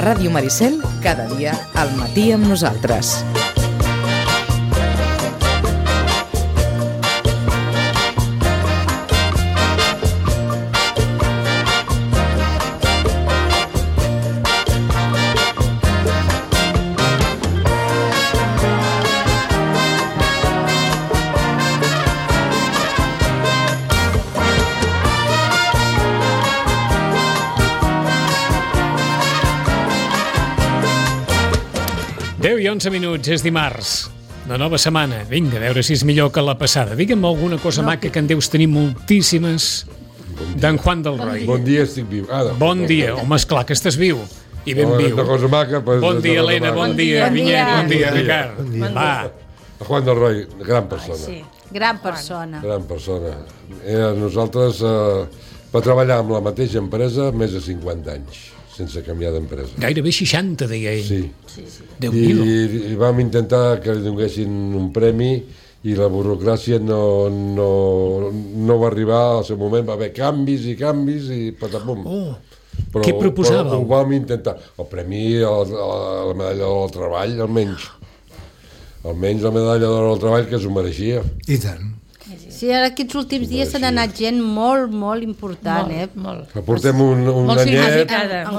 Ràdio Maricel, cada dia al matí amb nosaltres. I 11 minuts, és dimarts, de nova setmana. Vinga, a veure si és millor que la passada. Digue'm alguna cosa maca, que en deus tenir moltíssimes, d'en Juan del Roy. Bon dia, estic viu. Bon dia, home, esclar que estàs viu. I ben viu. Una cosa maca, pues, bon dia, Helena, bon dia, Vinyet, bon dia, Ricard. Va. Juan del Roy, gran persona. Sí, gran persona. Gran persona. Nosaltres va treballar amb la mateixa empresa més de 50 anys, sense canviar d'empresa. Gairebé 60, deia ell. Sí. Déu-n'hi-do. I vam intentar que li donessin un premi i la burocràcia no va arribar al seu moment. Va haver canvis i patapum. Però, què proposàveu? Però ho vam intentar. El premi a la medalla del treball, almenys. Almenys la medalla del treball, que s'ho mereixia. I tant. Sí, ara aquests últims dies s'ha anat gent molt, molt important, Molt. Portem un anyet. Molt significada.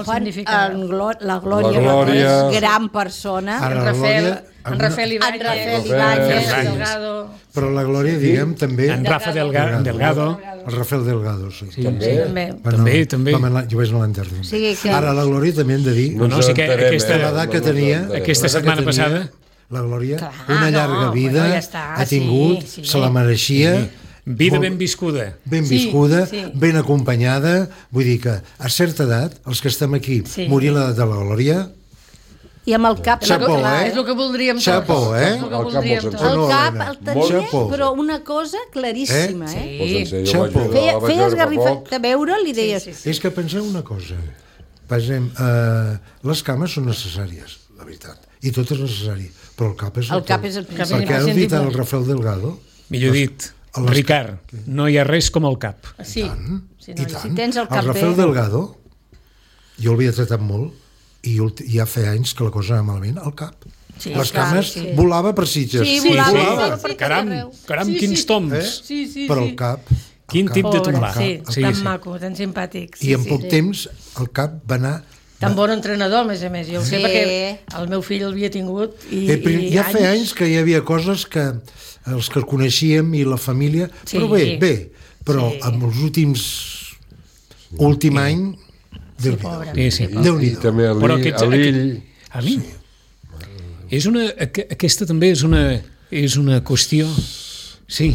La Glòria, gran persona. En Rafael Ibáñez, Delgado. Però la Glòria, diguem, també... En Rafa Delgado. El Rafael Delgado, sí. També. Jo vaig anar a l'enterrament. Ara, la Glòria també hem de dir... l'edat que tenia... Aquesta setmana passada... La Glòria, una llarga vida ha tingut, se la mereixia. Vida ben viscuda. Ben viscuda, ben acompanyada. Vull dir que a certa edat, els que estem aquí, morir l'edat de la Glòria... I amb el cap... Xapó, És el que voldríem tots. Xapó, El cap el tenia, però una cosa claríssima, Xapó. Feia esgarrifat de veure, li deies... És que penseu una cosa. Pensem, les cames són necessàries, la veritat. I tot és necessari, però el cap és el principal. Perquè ha dit el Rafael Delgado... Millor dit, Ricard, no hi ha res com el cap. Sí, i tant. Si tens el cap el Rafael Delgado, jo l'havia tratat molt, i ja feia anys que la cosa anava malament, al cap. Les cames volava per Sitges. Sí, volava. Caram, quins toms. Però el cap... Quin tip de tombar. Sí, tan maco, tan simpàtic. I en poc temps el cap va anar... Tan bon entrenador, a més a més. Jo ho sé perquè el meu fill l'havia tingut ja feia anys que hi havia coses que els que el coneixíem i la família... Però bé, però amb els últim any... Déu-n'hi-do. També a l'Ill. A l'Ill? Aquesta també és una qüestió... Sí,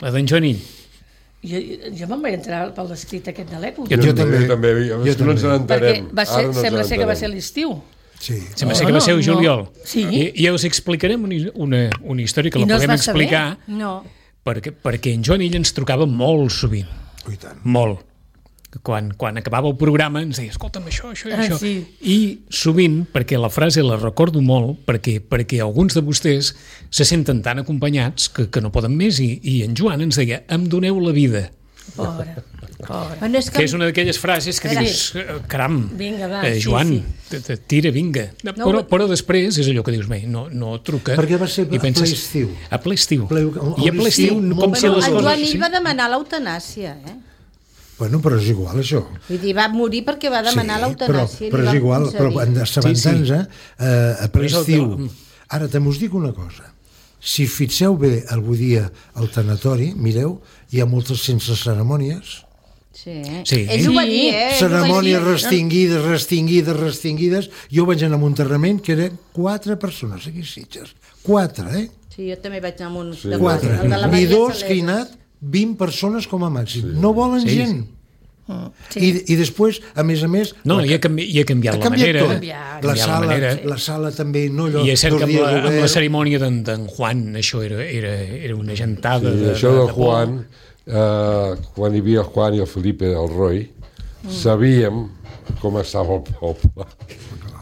la d'en Joan Ill. Jo me'n vaig entrar pel escrit aquest de l'època. Jo també. No ens n'entenem. Perquè sembla ser que va ser l'estiu. Sembla ser que va ser el juliol. I us explicarem una història que la podem explicar perquè en Joan Ill ens trucava molt sovint. Molt. Quan acabava el programa ens deia, escolta'm, això i això. I sovint, perquè la frase la recordo molt, perquè alguns de vostès se senten tan acompanyats que no poden més, i en Joan ens deia, em doneu la vida. Pobre. Que és una d'aquelles frases que dius, caram, Joan, tira, vinga. Però després és allò que dius, no truca. Perquè va ser a ple estiu. A ple estiu. I a ple estiu, com si les coses... El Joan Ill va demanar l'eutanàsia, Bueno, però és igual, això. Vull dir, va morir perquè va demanar l'eutanàsia. Però és igual, però assabentant-nos a ple estiu. Ara, també us dic una cosa. Si fixeu bé algun dia al tanatori, mireu, hi ha moltes sense cerimònies. Sí. Ell ho va dir, Cerimònies restringides. Jo vaig anar a un enterrament que eren 4 persones aquí a Sitges. 4, Sí, jo també vaig anar a un... 4. Ni 2 que hi ha anat, 20 persones com a màxim. No volen gent. I després, a més... No, hi ha canviat la manera. La sala també... I és cert que amb la cerimònia d'en Juan això era una gentada. Això del Juan, quan hi havia el Juan i el Felipe del Roy, sabíem com estava el poble.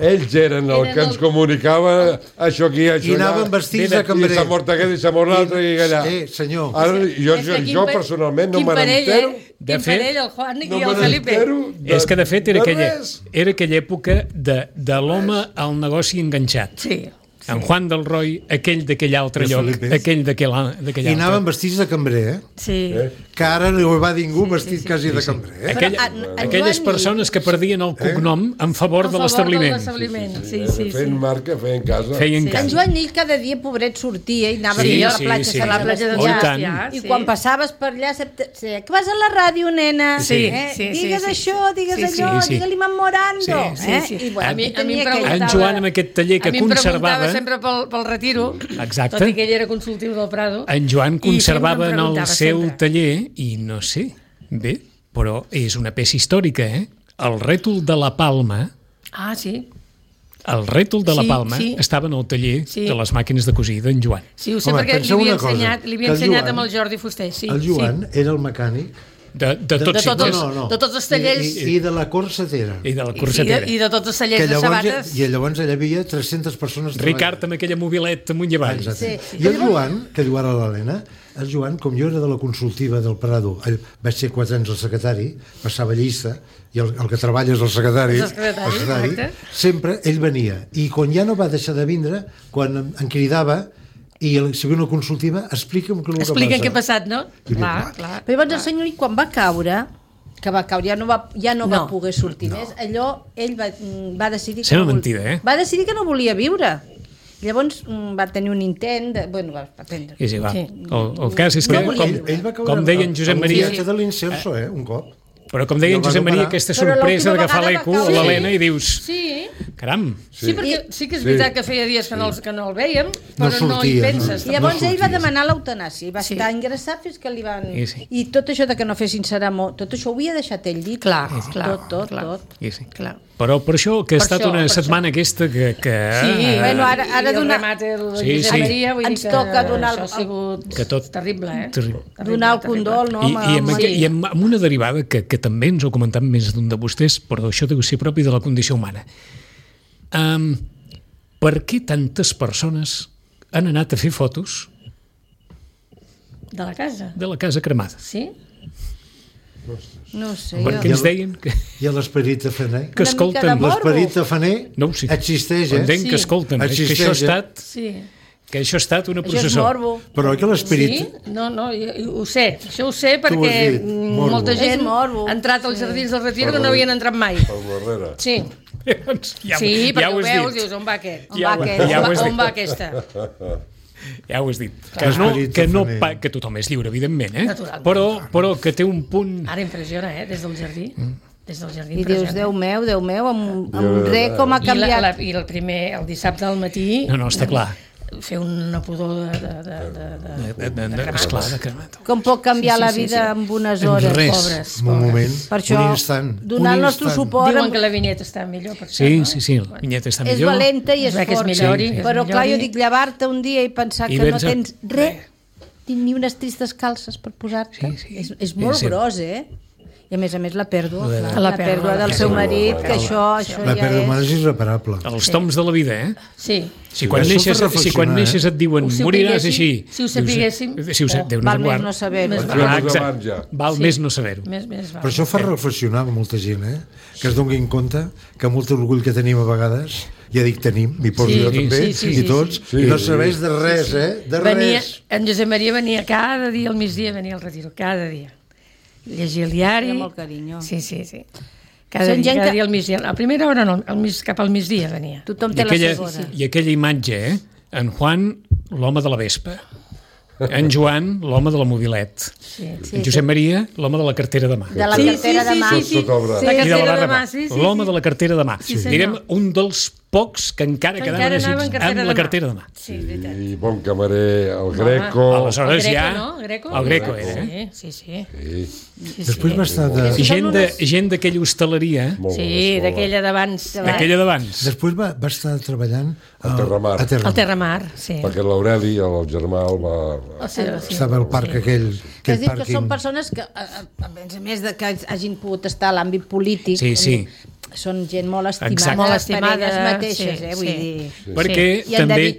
ells eren el que ens comunicava això aquí, això allà. I anaven vestits de cambrer. I s'ha mort aquest i s'ha mort l'altre i allà. Senyor. Ara, jo personalment no me n'entero. Quin parell, el Juan i el Felipe. És que, de fet, era aquella època de l'home al negoci enganxat. Sí. En Juan del Roy, aquell d'aquell altre lloc, aquell d'aquell altre. I anaven vestits de cambrer, Sí. Que ara no hi va ningú vestit quasi de cambrer. Aquelles persones que perdien el cognom en favor de l'establiment. Feien marca, feien casa. En Joan Ell cada dia, pobret, sortia i anava a la platja. A la platja de Llàstia. I quan passaves per allà, que vas a la ràdio, nena, digues això, digues allò, digue-li memorando. En Joan, amb aquest taller que conservava, sempre pel retiro, exacte, tot i que ell era consultiu del Prado. En Joan conservava en el seu taller, i no sé, bé, però és una peça històrica, el rètol de la Palma. Ah, sí. El rètol de la Palma estava en el taller de les màquines de cosir d'en Joan. Sí, ho sé, perquè li havia ensenyat amb el Jordi Fuster. El Joan era el mecànic de tots els tallers i de la corsetera i de tots els tallers de sabates, i llavors allà havia 300 persones Ricard amb aquella mobileta amunt i avall. I el Joan, que diu ara l'Helena, el Joan, com jo era de la consultiva del Prado, vaig ser 4 anys el secretari, passava llista, i el que treballa és el secretari, sempre ell venia, i quan ja no va deixar de vindre, quan em cridava i si ve una consultiva, explica'm què passa. Explica què ha passat, no? Clar. Però llavors el senyor, quan va caure, ja no va poder sortir més, allò, ell va decidir va decidir que no volia viure. Llavors va tenir un intent va prendre. El cas és que, com deia en Josep Maria, de l'Inserso, un cop. Però com deia en Josep Maria, aquesta sorpresa d'agafar l'eco a l'Helena i dius... Caram! Sí, perquè sí que és veritat que feia dies que no el vèiem, però no hi penses. I llavors ell va demanar l'eutanàsia i va estar ingressat fins que li van... I tot això de que no fessin ceramó, tot això ho havia deixat ell dit. Clar. Però per això que ha estat una setmana aquesta que... Sí, ara ens toca donar el condol, no? I amb una derivada que també ens ho ha comentat més d'un de vostès, però això deu ser propi de la condició humana. Per què tantes persones han anat a fer fotos de la casa? De la casa cremada. Sí? No sé. Perquè ens deien que... I l'esperit tafaner? Que escolten. L'esperit tafaner existeix, entenc que escolten. Que això ha estat... Que això ha estat una processó. Això és morbo. Però que l'esperit... Sí? No, ho sé. Això ho sé perquè molta gent ha entrat als Jardins del Retiro que no havien entrat mai. Per darrere. Sí. Sí, perquè ho veus, dius, on va aquest? On va aquesta? Ja ho has dit. Que tothom és lliure, evidentment, però que té un punt... Ara impressiona, des del jardí. I dius, Déu meu, amb res com ha canviat. I el dissabte al matí... No, està clar. Fer una pudor de cremat. Com pot canviar la vida en unes hores? Res, un moment, un instant. Donar el nostre suport... Diuen que la vinyeta està millor. Sí, la vinyeta està millor. És valenta i és fort. Però clar, jo dic, llevar-te un dia i pensar que no tens res, ni unes tristes calces per posar-te. És molt gros, I a més la pèrdua del seu marit, que això la pèrdua humana és irreparable. Els toms de la vida, Sí. Si quan neixes et diuen moriràs així. Si ho sapiguéssim. Val més no saber-ho. Val més no saber-ho. Però això fa reflexionar molta gent, que es donin compte que molt orgull que tenim a vegades, ja dic tenim, m'hi poso jo també, i tots, i no serveix de res, de res. En Josep Maria venia cada dia al migdia, venia al retiro, cada dia. Llegir el diari. Amb molt carinyo. Sí. Cada dia al migdia. A primera hora no, cap al migdia venia. Tothom té la segona. I aquella imatge, en Juan, l'home de la vespa. En Joan, l'home de la mobilet. En Josep Maria, l'home de la cartera de mà. De la cartera de mà. La cartera de mà, l'home de la cartera de mà. Direm, un dels pocs que encara quedaven amb la cartera de mà. I bon camarer, el Greco. Aleshores ja... El Greco era. Sí. Després va estar de... Gent d'aquella hostaleria. Sí, d'aquella d'abans. Després va estar treballant al Terramar. Al Terramar, sí. Perquè l'Aureli, el germà, el va... Estava al parc aquell que són persones que, a més de que hagin pogut estar a l'àmbit polític, són gent molt estimada per elles mateixes, vull dir. Perquè també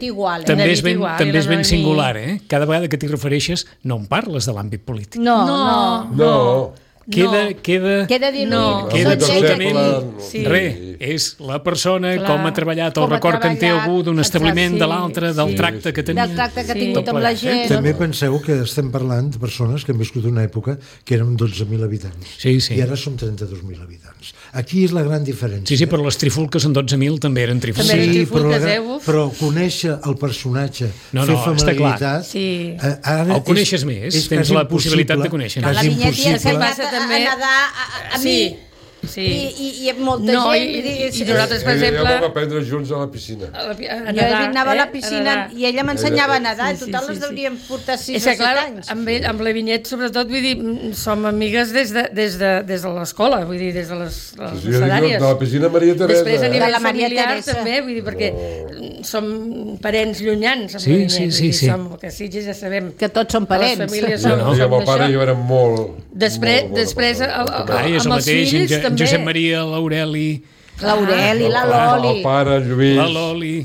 és ben singular, cada vegada que t'hi refereixes no en parles de l'àmbit polític. No. Queda dir no. Queda absolutament és la persona, com ha treballat, el record que en té algú d'un establiment de l'altre, del tracte que tenia. Del tracte que ha tingut amb la gent. També penseu que estem parlant de persones que han viscut una època que eren 12.000 habitants. I ara som 32.000 habitants. Aquí és la gran diferència. Sí, però les trifulques en 12.000 també eren trifulques. Sí, però conèixer el personatge, fer familiaritat... El coneixes més, tens la possibilitat de conèixer. La vinyeta a nedar a mi i molta gent i nosaltres, per exemple, vam aprendre junts a la piscina. Jo anava a la piscina i ella m'ensenyava a nedar, en total les deuríem portar 6 o 7 anys. Amb la Vinyet, sobretot, vull dir, som amigues des de l'escola, vull dir, des de les sedàries. De la piscina Maria Teresa. Després a nivell familiar també, vull dir, perquè som parents llunyans amb la Vinyet, som que Sitges ja sabem que tots som parents. I amb el pare jo érem molt... Després amb els fills Josep Maria, l'Aureli, la Loli, el pare, el Lluís, la Loli,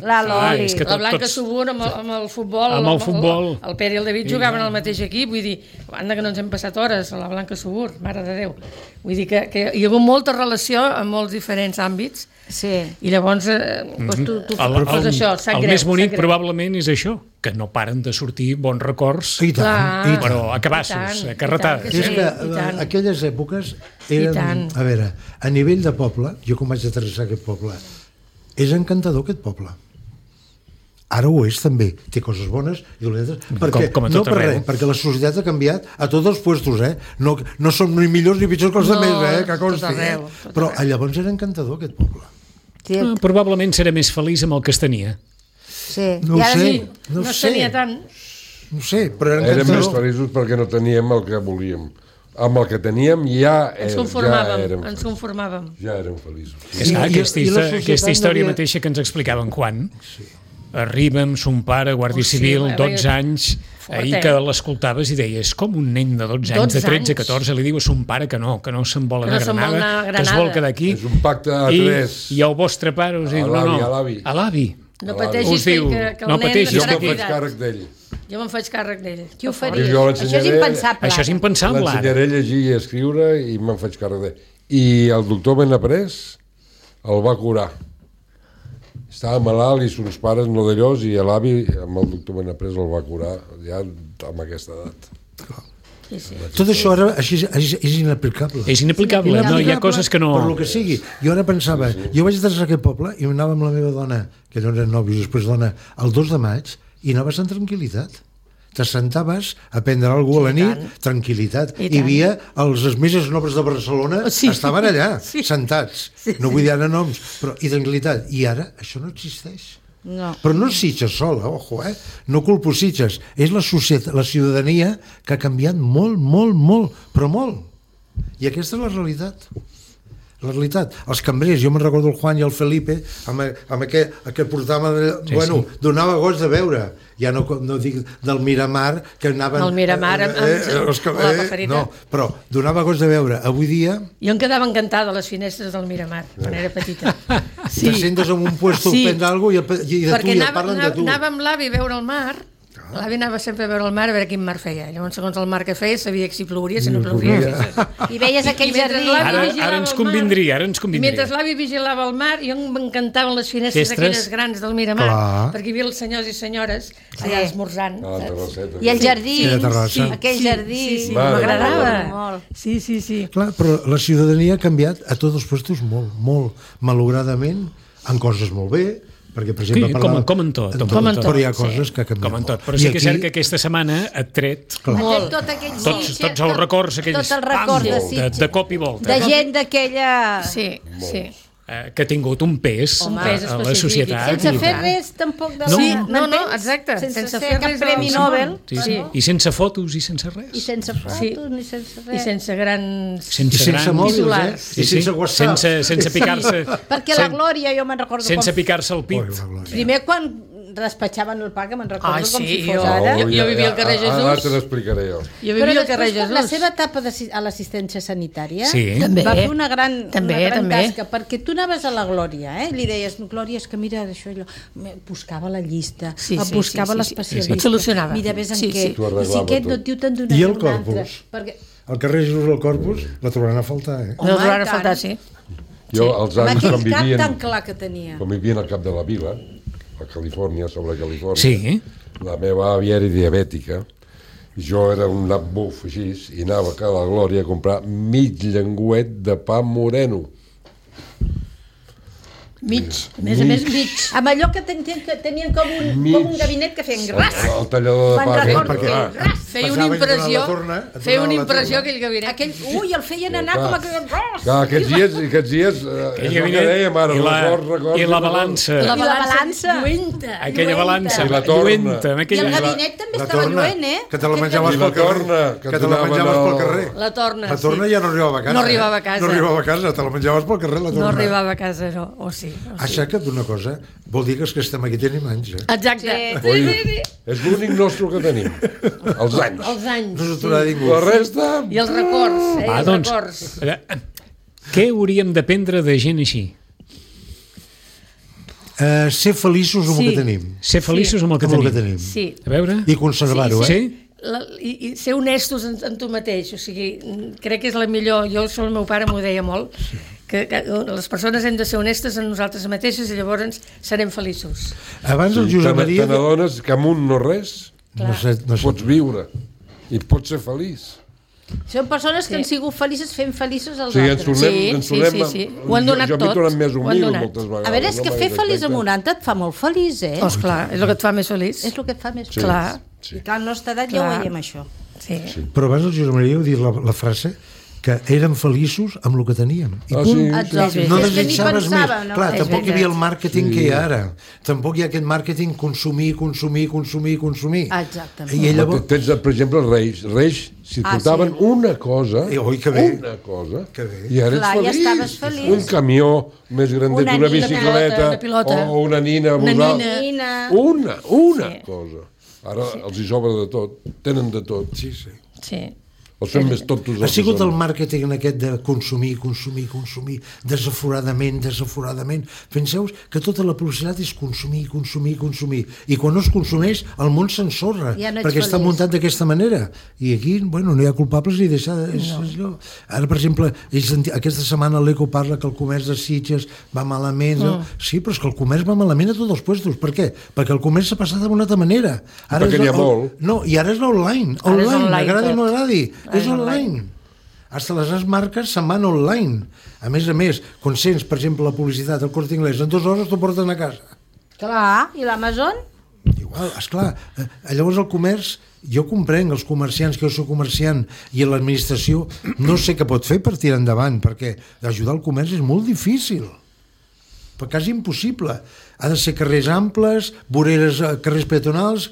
la Blanca Subur amb el futbol, el Pere i el David jugaven al mateix equip, vull dir, banda que no ens hem passat hores a la Blanca Subur, mare de Déu, vull dir que hi ha hagut molta relació en molts diferents àmbits. I llavors això, sap greu. El més bonic probablement és això, que no paren de sortir bons records, però a cabassos, a carretades. És que aquelles èpoques eren, a veure, a nivell de poble, jo com vaig aterrissar aquest poble, és encantador aquest poble. Ara ho és també, té coses bones i dolentes, perquè la societat ha canviat a tots els puestos, no som ni millors ni pitjors que els altres, que consti, però llavors era encantador aquest poble. Probablement serà més feliç amb el que es tenia. No ho sé, no es tenia tant. No sé, però era encantador. Érem més feliços perquè no teníem el que volíem. Amb el que teníem ens conformàvem. Ja érem feliços. Aquesta història mateixa que ens explicaven quan arriba amb son pare, guàrdia civil, 12 anys, ahir que l'escoltaves i deies, com un nen de 12 anys, de 13, 14, li diu a son pare que no se'n vol anar a Granada, que es vol quedar aquí. És un pacte a 3. I el vostre pare us diu, a l'avi. No pateixis que el nen estarà cridat. Jo me'n faig càrrec d'ell. Jo me'n faig càrrec d'ell. Qui ho faria? Això és impensable. Això és impensable. L'ensenyaré a llegir i a escriure i me'n faig càrrec d'ell. I el doctor Benaprés el va curar. Estava malalt i sos pares no d'allòs i l'avi amb el doctor Benaprés el va curar ja amb aquesta edat. Tot això ara és inaplicable. És inaplicable, no, hi ha coses que no... Per lo que sigui. Jo ara pensava, jo vaig aterrar a aquest poble i anava amb la meva dona, que no eren nòvios, després dona, el 2 de maig, i anaves en tranquil·litat. T'assentaves a prendre alguna cosa a la nit, tranquil·litat. Hi havia els més nobles de Barcelona, estaven allà, sentats. No vull dir ara noms, però i tranquil·litat. I ara això no existeix. No. Però no és Sitges sola, ojo, no culpo Sitges, és la societat, la ciutadania que ha canviat molt, però molt. I aquesta és la realitat. La realitat, els cambrers, jo me'n recordo el Juan i el Felipe amb aquest portava, donava goig de veure, ja no dic del Miramar, que anaven... El Miramar amb la paperita. No, però donava goig de veure. Avui dia... Jo em quedava encantada a les finestres del Miramar, quan era petita. Te sentes en un puesto fent alguna cosa i de tu, i et parlen de tu. Perquè anava amb l'avi a veure el mar. L'avi anava sempre a veure el mar a veure quin mar feia. Llavors, segons el mar que feia, sabia si plouria, si no plouria. I veies aquell jardí. Ara ens convindria. Mentre l'avi vigilava el mar, jo m'encantaven les finestres aquelles grans del Miramar, perquè hi havia els senyors i senyores allà esmorzant. I el jardí, aquell jardí, m'agradava. Sí. Clar, però la ciutadania ha canviat a tots els puestos molt, malauradament, en coses molt bé, perquè, per exemple, com en tot. Però hi ha coses que canvien com en tot. Però sí que és cert que aquesta setmana et tret tots els records aquells de cop i volta. De gent d'aquella... Sí. Que ha tingut un pes a la societat. Sense fer res, tampoc. No, exacte. Sense fer cap premi Nobel. I sense fotos i sense res. I sense fotos ni sense res. I sense grans... Sense mòbils, i sense WhatsApp. Sense picar-se... Perquè la Glòria, jo me'n recordo... Sense picar-se el pit. Primer, quan despatxaven el pa, que me'n recordo com si fos ara. Jo vivia al carrer Jesús. Ara te l'explicaré jo. Però després, la seva etapa a l'assistència sanitària, també va fer una gran tasca, perquè tu anaves a la Glòria, li deies, Glòria, és que mira això, allò, buscava la llista, buscava l'especialista. Et solucionava. Mira, ves en què. I si aquest no et diu, te'n donaré un altre. Al carrer Jesús del Corpus la trobaran a faltar, La trobaran a faltar, sí. Jo, als anys, quan vivien... tan clar que tenia. Quan vivien al cap de la vila, a Califòrnia, sobre Sí. Califòrnia, la meva àvia era diabètica, jo era un nap buf així, i anava a la Glòria a comprar mig llenguet de pa moreno. Mig, a més, mig. Amb allò que tenien com un gabinet que feien gras. El tallador de pa. Feia una impressió aquell gabinet. Ui, el feien anar com aquell gras. Clar, aquests dies, és el que dèiem ara, I la balança. I la balança. Lluenta. Aquella balança. I la torna. I el gabinet també estava lluent, Que te la menjaves pel carrer. Que te la menjaves pel carrer. La torna, La torna ja no arribava a casa. No arribava a casa. No arribava a casa, te la menjaves pel carrer, la torna. No arribava a casa, no. O sí. Aixeca't d'una cosa, vol dir que els que estem aquí tenim anys, Exacte. És l'únic nostre que tenim. Els anys. Els anys. No s'aturarà ningú. La resta... I els records, els records. Què hauríem d'aprendre de gent així? Ser feliços amb el que tenim. Ser feliços amb el que tenim. Sí. A veure? I conservar-ho, Sí? I ser honestos en tu mateix, o sigui, crec que és la millor, el meu pare m'ho deia molt, que les persones hem de ser honestes en nosaltres mateixes i llavors serem feliços. Abans el Josep Maria... Te n'adones que amb un no res pots viure i pots ser feliç. Són persones que han sigut felices fent feliços als altres. Sí. Ho han donat tot. Jo m'he tornat més humil moltes vegades. A veure, és que fer feliç amb un altre et fa molt feliç, Esclar, és el que et fa més feliç. És el que et fa més feliç. Clar. I clar, a la nostra edat ja ho veiem, això. Sí. Però abans el Josep Maria heu dit la frase que érem feliços amb el que teníem. I punt. No desitjaves més. Clar, tampoc hi havia el màrqueting que hi ha ara. Tampoc hi ha aquest màrqueting consumir. Exactament. I llavors... Tens, per exemple, els Reis, si portaven una cosa, i ara ets feliç. Un camió més grandet, una bicicleta, o una nina. Una cosa. Ara els hi sobra de tot, tenen de tot. Sí. O són més tontos. Ha sigut el màrqueting aquest de consumir, desaforadament. Penseu que tota la publicitat és consumir. I quan no es consumeix, el món s'ensorra, perquè està muntat d'aquesta manera. I aquí, no hi ha culpables ni deixar... Ara, per exemple, aquesta setmana l'Eco parla que el comerç de Sitges va malament. Sí, però és que el comerç va malament a tots els puestos. Per què? Perquè el comerç s'ha passat d'una altra manera. Perquè n'hi ha molt. No, i ara és l'online. Agradi o no agradi. És online. Hasta les marques se'n van online. A més, conscients, per exemple, la publicitat, el Corte Inglés, en 2 hores t'ho porten a casa. Clar, i l'Amazon? Igual, esclar. Llavors el comerç, jo comprenc els comerciants, que jo soc comerciant, i l'administració no sé què pot fer per tirar endavant, perquè ajudar el comerç és molt difícil. Però quasi impossible. Ha de ser carrers amples, carrers peatonals,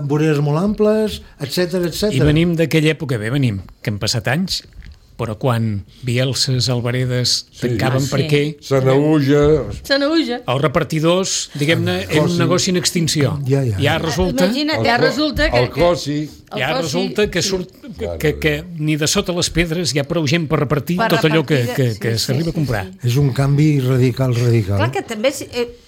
voreres molt amples, etc. I venim d'aquella època, que han passat anys, però quan Bielses, Alvaredes tancaven perquè... Sanauja... Els repartidors, diguem-ne, era un negoci en extinció. Ja resulta... El Cosi... Ja resulta que surt que ni de sota les pedres hi ha prou gent per repartir tot allò que s'arriba a comprar. És un canvi radical. Clar que també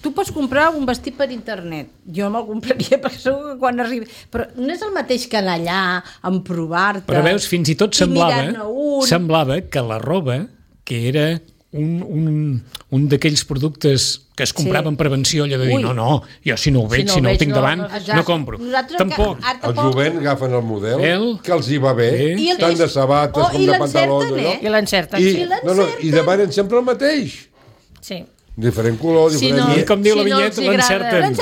tu pots comprar un vestit per internet. Jo me'l compraria perquè segur que quan arribi... Però no és el mateix que anar allà, en provar-te... Però veus, fins i tot semblava que la roba, que era un d'aquells productes que es comprava en prevenció, allò de dir, no, jo si no ho veig, si no ho tinc davant, no compro. Tampoc. El jovent agafen el model que els hi va bé, tant de sabates com de pantalons. I l'encerten. I demanen sempre el mateix. Sí. Diferent color, diferent... Com diu la vinyeta, l'encerten. Un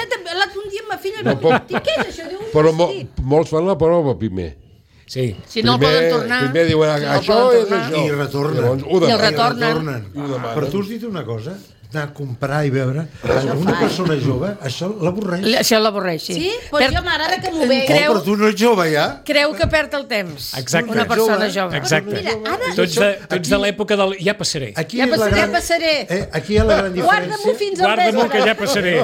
dia amb ma filla què és això? Però molts fan la prova primer. Sí. Si no el poden tornar... Primer diuen, això és això. I retornen. I el retornen. Però tu has dit una cosa, anar a comprar i beure, una persona jove, això l'avorreix. Això l'avorreix, sí. Sí? Pues jo m'agrada que m'ho vegi. Però tu no ets jove, ja? Creu que perd el temps. Exacte. Una persona jove. Exacte. Tu ets de l'època del ja passaré. Ja passaré. Aquí hi ha la gran diferència. Guarda-m'ho fins al Guarda-m'ho que ja passaré.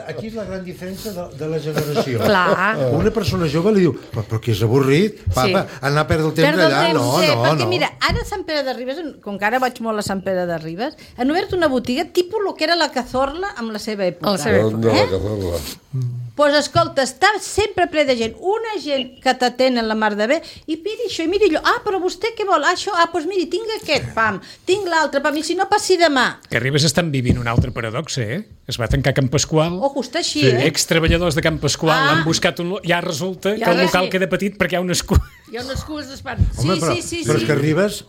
Aquí és la gran diferència de la generació. Clar. Una persona jove li diu, però que és avorrit, papa, anar a perdre el temps allà. No. Perquè mira, ara a Sant Pere de Ribes, com que ara vaig molt a Sant Pere de Ribes, han obert una botiga tipus el que era la Cazorla amb la seva època. La Cazorla. Pues escolta, està sempre ple de gent, una gent que t'atenen la mar de bé, i miri això, i miri allò, però vostè què vol? Això, doncs miri, tinc aquest, pam, tinc l'altre, pam, i si no passi demà. Que a Ribes estan vivint una altra paradoxa, Es va tancar Can Pasqual. Just així, Ex-treballadors de Can Pasqual han buscat un... Ja resulta que el local queda petit perquè hi ha unes cues. Hi ha unes cues d'espant. Sí. Però és que Ribes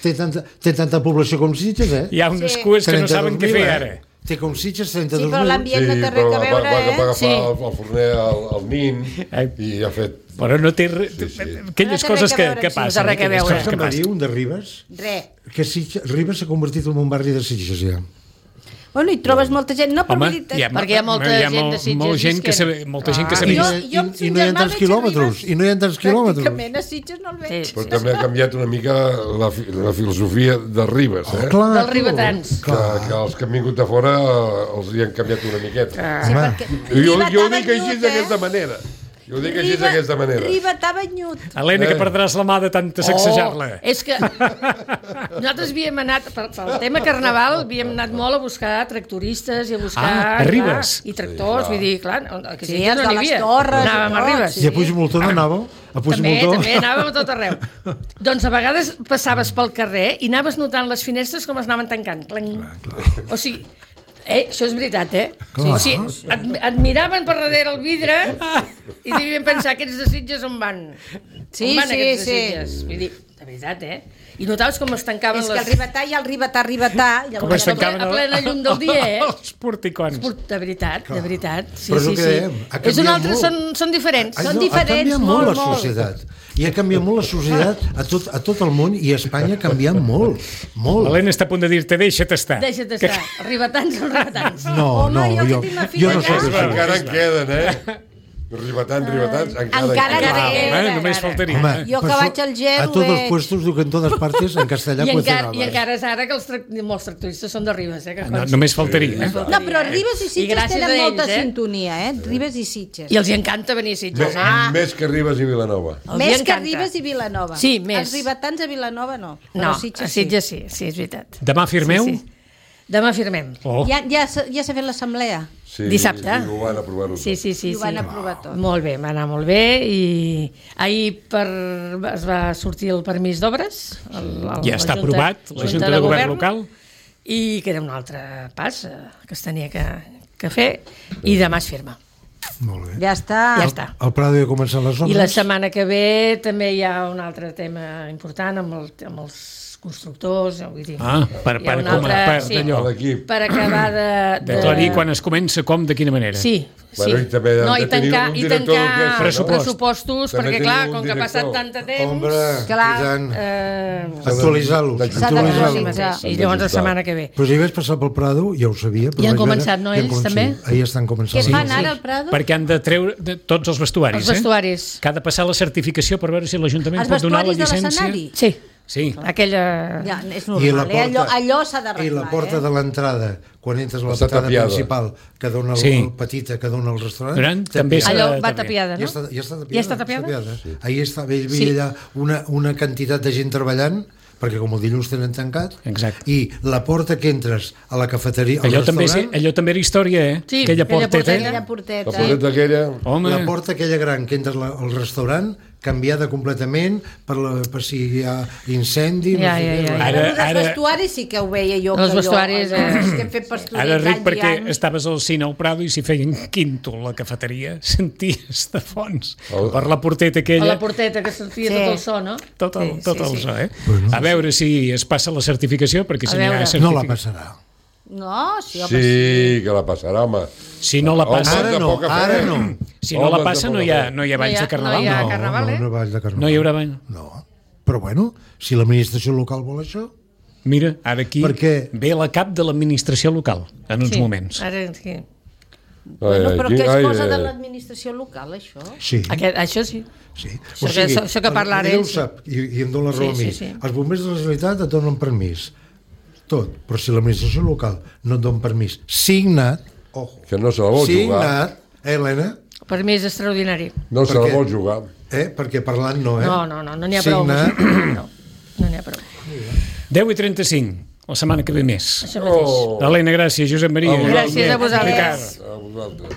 té tanta població com Sitges, Hi ha unes cues que no saben què fer ara. Té com Sitges 32.000. Sí, però l'ambient no té res a veure, va agafar el forner al nin i ha fet... Però no té aquelles coses que passen. No té res a veure. Saps què em va dir un de Ribes? Res. Que Ribes s'ha convertit en un barri de Sitges, ja. Bueno, hi trobes molta gent, no, Home, perquè hi ha molta gent de Sitges. Molta gent que sabia. I no hi ha tants quilòmetres. I no hi ha tants quilòmetres. Pràcticament a Sitges no el veig. Però també ha canviat una mica la filosofia de Ribes, Dels ribetans. Que els que han vingut de fora els hi han canviat una miqueta. Sí, perquè Jo ho dic així d'aquesta manera. Jo ho dic així d'aquesta manera. Riba t'ha banyut. Helena, que perdràs la mà de tanta sacsejar-la. És que nosaltres havíem anat, pel tema Carnaval, havíem anat molt a buscar tractoristes i a buscar... a Ribes. I tractors, vull dir, clar, que sí, els de les Torres. Anàvem a Ribes. I a Puigmoltó no anàveu? També anàvem a tot arreu. Doncs a vegades passaves pel carrer i anaves notant les finestres com es anaven tancant. O sigui... això és veritat, Sí, et miraven per darrere el vidre i devien pensar aquests de Sitges on van. Sí. Aquests de Sitges? Vull dir, de veritat, I notaves com es tancaven les... És que el ribetà i el ribetà... Com es tancaven a plena llum del dia, Els porticons. De veritat. Sí. És un altre, són diferents. Són diferents, molt la societat. I ha canviat molt la societat a tot el món i a Espanya ha canviat molt. L'Helena està a punt de dir-te, deixa't estar. Ribetans són ribetans. No, jo no sé. Encara en queden, Ribetans, encara només faltaria. Jo que vaig al gel... A tots els puestos diu que en totes partes en castellà I encara és ara que molts tractoristes són de Ribes. Només faltaria. No, però Ribes i Sitges tenen molta sintonia, Ribes i Sitges. I els encanta venir a Sitges. Més que Ribes i Vilanova. Més que Ribes i Vilanova. Sí, més. Els ribetans a Vilanova no. No, a Sitges sí, és veritat. Demà firmeu? Demà firmem. Ja s'ha fet l'assemblea? Dissabte. Ho van aprovar-ho tot. Sí. Ho van aprovar tot. Molt bé, va anar molt bé i ahir es va sortir el permís d'obres. Ja està aprovat, la Junta de Govern local. I queda un altre pas que es tenia que fer i demà es firma. Molt bé. Ja està. El Prado ja ha començat les obres. I la setmana que ve també hi ha un altre tema important amb els constructors, vull dir... Per acabar d'aclarir quan es comença, com, de quina manera. Sí. I tancar pressupostos, perquè clar, com que ha passat tant de temps... Actualitzar-los. I llavors la setmana que ve. Però si vaig passar pel Prado, ja ho sabia. Ja han començat, no, ells també? Ahir estan començant. Què fan ara al Prado? Perquè han de treure tots els vestuaris. Els vestuaris. Que ha de passar la certificació per veure si l'Ajuntament pot donar la llicència. Sí. Aquella... Ja, és normal, allò s'ha d'arreglar. I la porta de l'entrada, quan entres a la portada principal, que dona el petita, que dona el restaurant... Allò va tapiada, no? Ja està tapiada? Ahir hi havia allà una quantitat de gent treballant, perquè com el dilluns tenen tancat, i la porta que entres a la cafeteria, al restaurant... Allò també era història, Sí, aquella porteta. La porteta aquella... La porta aquella gran que entres al restaurant, canviada completament per si hi ha incendi... Els vestuaris sí que ho veia jo. Els vestuaris... Ara ric perquè estaves al cine al Prado i si feien quinto la cafeteria senties de fons per la porteta aquella... La porteta que sentia tot el so, no? Tot el so, A veure si es passa la certificació, perquè si n'hi ha certificació... No la passarà. No, sí, que la passarà, home. Si no la passa... Ara no. Si no la passa no hi ha balls de Carnaval. No hi ha Carnaval, No hi haurà ball de Carnaval. No hi haurà ball. No. Però bueno, si l'administració local vol això... Mira, ara aquí ve la cap de l'administració local, en uns moments. Ara sí. Bueno, però què és cosa de l'administració local, això? Sí. Això sí. Sí. Això que parla ara ell. Ell ho sap, i em dona la raó a mi. Els bombers de la Generalitat et donen permís. Tot. Però si l'administració local no et dona permís signat, que no se la vol jugar. Signat, Helena? Permís extraordinari. No se la vol jugar. Perquè parlant no, No n'hi ha prou. No n'hi ha prou. 10:35. La setmana que ve més. Això mateix. Helena, gràcies. Josep Maria. Gràcies a vosaltres. A vosaltres.